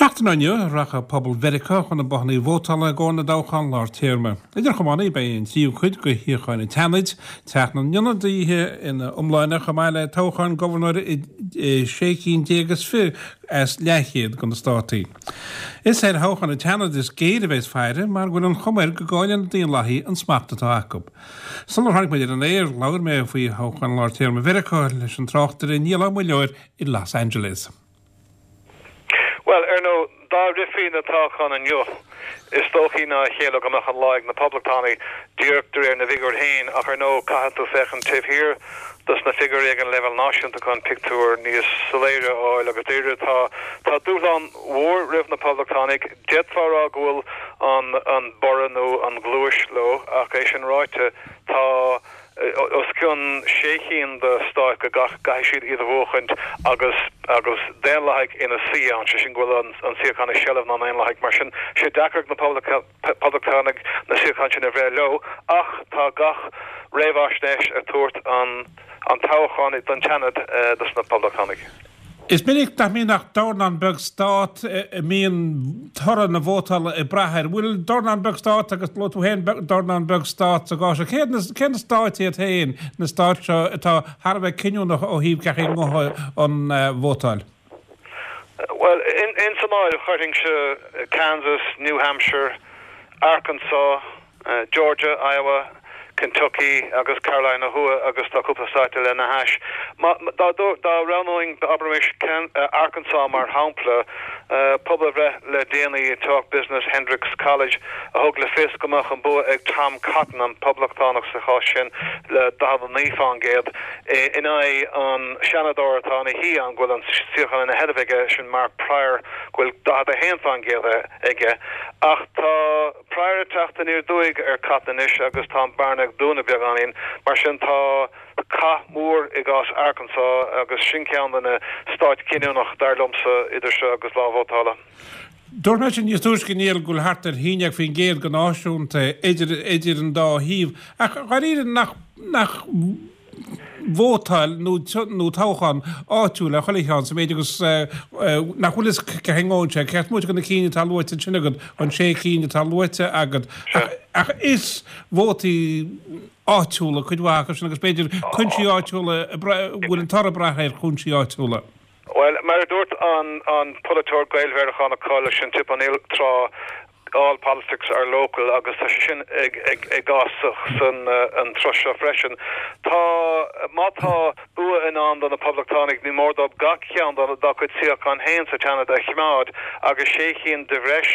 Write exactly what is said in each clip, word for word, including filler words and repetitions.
Seachtain ó inniu rachaidh pobal Mheiriceá chun na bothanna vótála i gcomhair na dtoghchán lár téarma. Idir chamánaí beidh an tríú cuid de shuíocháin an tSeanaid, Teach na nIonadaithe ina iomláine chomh maith le toghchán gobharnóra i sé cinn déag is fiche as leathchéad de na státaí. Is ar thoghchán an tSeanaid is géire a bheas faire mar go bhfuil an chuma air go gcaillfidh na Daonlathaigh an smacht atá acu. Sular tháinig muid ar an aer labhair mé faoi thoghchán lár téarma Mheiriceá leis an tráchtaire Niall Ó Muilleoir i Los Angeles. Well ar ndóigh dá rithfí na toghcháin inniu is dóichí ná a chéile go mbeadh an lá ag na Poblachtánaigh díreach de réir na bhfigiúr féin ach ar ndóigh caithfidh tú féachaint taobh thiar dos na figiúirí ag an leibhéal náisiúnta chun pictiúr níos soiléire a fháil agus dáiríre tá tá dúshlán mhór roimh na Poblachtánaigh d'fhéadfá rá go bhfuil an an borradh nó an ghluais leo ach é sin ráite tá os cionn sé cinn de stáit go gcaithfidh siad iad a bhuachaint agus agus Daonlathaigh ina suí ann sé sin go bhfuil an suíochán i seilbh na nDaonlathaigh mar sin sé deacair na Poblachtánaigh na suíocháin sin a bhreith leo ach tá gach réamhaisnéis ag tabhairt an an toghchán don tSeanad dos na Poblachtánaigh. Is minic nach mbíonn ach dornán beag stát a mbíonn toradh na vótála ag brath air. Bhfuil dornán beag stát agus luaigh tú féin dornán beag stát sa gcás cé cé na stáit iad féin na stáit seo atá thar a bheith cinniúnach ó thaobh cén chaoi a ngabhfaidh an vótáil. Well in in san áireamh chuirfinnse Kansas, New Hampshire, Arkansas, uh, Georgia, Iowa, Kentucky agus Carolina Thuaidh agus tá cúpla stát lena hais. Dá dá roghnóinn abraimis Arkansas mar shampla uh, pobalbhreith le déanaí Talk Business Hendrix College a thug le fios go mbeadh an bua ag Tom Cotton an poblachtánach sa chás sin le daichead a naoi faoin gcéad in aghaidh an seanadóir atá ina shuí ann go bhfuil an suíochán ina sheilbh aige sin Mark Pryor go bhfuil daichead a haon faoin gcéad aige ach tá Pryor ag teacht aniar aduaidh ar Cotton anois agus tá an bearna ag dúnadh beagáinín mar sin tá cath mór i gcás Arkansas agus sin ceann de na stáit cinniúnach dar liomsa idir seo agus lá vótála. Dúirt mé sin níos túisce Niall go bhfuil thart ar haon déag faoin gcéad go náisiúnta idir idir an dá thaobh ach dáiríre nach nach vótáil nó nó toghchán áitiúil ar chuile cheann sa méid agus nach bhfuil cé sé ceart muid go na cinn atá luaite sin agat an sé cinn atá luaite agat ach is vótaí áitiúla cuid mhaith sin agus b'fhéidir cúinsí áitiúla bhfuil an toradh ag brath ar chúinsí áitiúla. Well mar a dúirt an an polaiteoir Gael-Mheiriceánach cáiliúil sin Tip O'Neill tráth all politics are local agus tá sé sin ag ag ag san an tráth seo freisin. Tá má tá bua i ndán do na Poblachtánaigh ní mór dóibh gach ceann dá cuid suíochán féin sa tSeanad a choimeád agus sé cinn de bhreis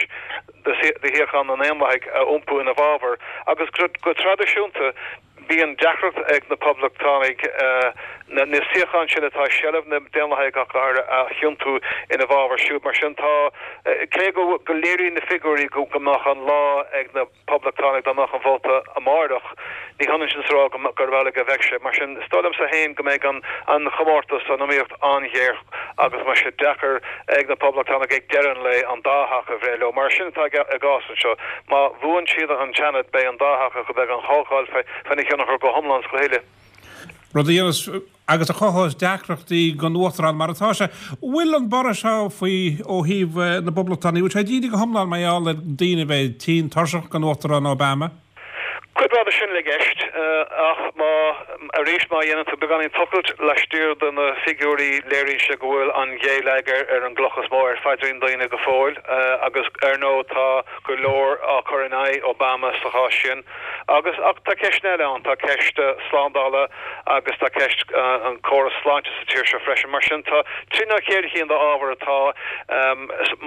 de shuíocháin na nDaonlathaigh a iompú ina bhfabhar agus go traidisiúnta bíonn deacracht ag na Poblachtánaigh na na suíocháin sin atá seilbh na Daonlathaigh ach a thiontú ina bhfabhar siúd mar sin tá cé go go léiríonn na figiúirí go go mbeadh an lá ag na Poblachtánaigh dá mbeadh an vóta amárach ní hionann sin is rá go gur amhlaidh a bheidh sé mar sin is dóigh liomsa féin go mbeidh an an chomórtas an iomaíocht an-ghéar agus mar sé deacair ag na Poblachtánaigh ag deireadh an lae an dá theach a bhreith leo mar sin atá i gcás anseo má bhuann siad an Seanad beidh an dá theach go beidh an Chomhdháil féna thionchar go hiomlán go huile. Rud a agus a chothós deacrachtaí don uachtarán mar atá sé. Bhfuil an borradh seo faoi ó thaobh na bPoblachtánaigh, bhfuil sé díreach go hiomlán mar gheall ar daoine bheith tinn tuirseach den uachtarán Obama? Cuid mhaith de sin i gceist ach má arís má dhéanann tú beagáinín tochailt laistiar de na figiúirí léiríonn sé go bhfuil an Ghaeilge ar an gcloch is mó ar phaidrín daoine go fóill agus ar ndóigh tá go leor á chur in aghaidh Obama sa chás sin agus ach tá ceist eile ann tá ceist slándála agus tá ceist an córas sláinte sa tír seo freisin mar sin tá trí nó ceithre cinn d'ábhar atá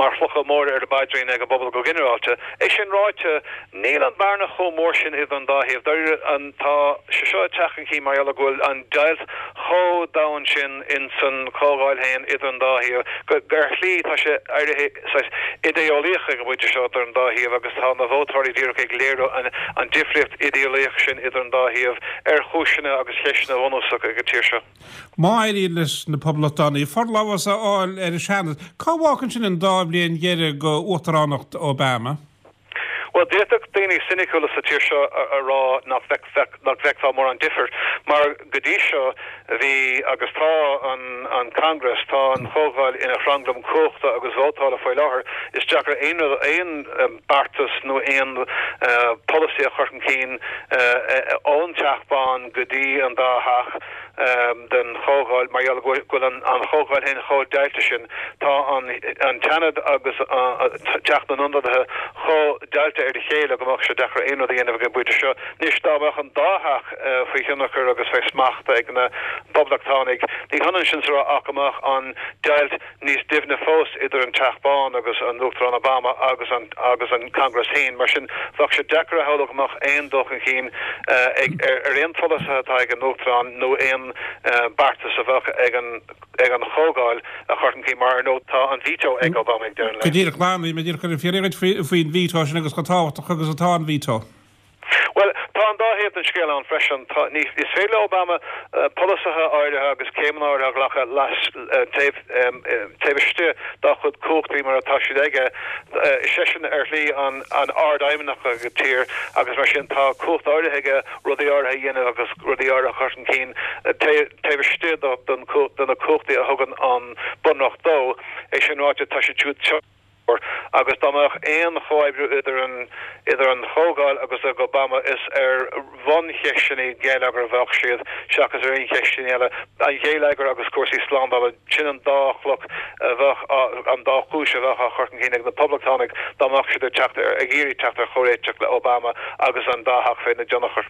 mar chlocha móra ar a bpaidrín ag an bpobal go ginearálta. É sin ráite níl an bearna chomh mór sin idir an dá thaobh. Dáiríre an tá sé seo ag teacht chun cinn mar gheall go bhfuil an deighilt chomh domhain sin in san Chomhdháil féin idir an dá thaobh go ar shlí tá sé éirithe idé-eolaíoch ag an bpointe seo idir an dá thaobh agus tá na vótóirí díreach ag léiriú an, an difríocht idé-eolaíoch sin idir an dá thaobh ar chúiseanna agus cheisteanna bunúsacha ag an tír seo. Má éiríonn leis na Poblachtánaigh forlámhas a fháil ar an Seanad, cá bhfágann sin an dá bhliain dheiridh d'uachtaránacht Obama? Well Bhuel, d'fhéadfadh daoine soiniciúla sa tír seo a rá nach bhfeicfeá mórán difir, mar go dtí seo bhí agus tá an an Congress, tá an Chomhdháil ina thranglam cumhachta agus vótála faoi láthair. Is deacair aon rud, aon beartas nó aon polasaí a chur chun cinn ón Teach Bán go dtí an dá theach den Chomhdháil mar gheall go bhfuil an Chomhdháil féin chomh deighilte sin. Tá an tSeanad agus Teach na nIonadaithe chomh deighilte ar a chéile go mbeadh sé deacair aon rud a dhéanamh ag an bpointe seo. Anois dá mbeadh an dá theach faoi thionchar agus faoi smacht ag na Poblachtánaigh, ní hionann sin is a rá ach go mbeadh an deighilt níos doimhne fós idir an Teach Bán agus an Uachtarán Obama agus an agus an Congress féin. Mar sin, bheadh sé deacair a shamhlú go mbeadh aon dul chun cinn ag ar aon pholasaithe atá ag an Uachtarán nó aon beartas a bheadh ag an ag an Chomhdháil a chur chun cinn mar ar ndóigh tá an veto ag Obama ag deireadh an lae. Go díreach, Glan, bhí mé díreach chun fiafraí díot faoin veto sin agus chomh tábhachtach agus atá an veto. Bhuel, tá an dá thaobh den scéal ann freisin. Tá, ní, is féidir le Obama polasaithe áirithe agus céimeanna áirithe a ghlacadh las, taobh, taobh istigh dá chuid cumhachtaí mar atá siad aige. Is eisean ar shlí an, an Ard-Fheidhmeannach ag an tír agus mar sin tá cumhacht áirithe aige rudaí áirithe a dhéanamh agus rudaí áirithe a chur chun cinn taobh, taobh istigh de, den, de na cumhachtaí a thugann an Bunreacht dó. É sin ráite, tá siad siúd agus dá mbeadh aon chomhoibriú idir an idir an Chomhdháil agus ag Obama is ar bhuncheisteanna geilleagair a bheadh siad seachas ar aon cheisteanna eile. An geilleagar agus cúrsaí slándála, sin an dá chloch a bheadh an dá chúis a bheadh á chur chun cinn ag na Poblachtánaigh dá mbeadh siad ag teacht ar ag iarraidh teacht ar chomhréiteach le Obama agus an dá theach faoina dtionchar.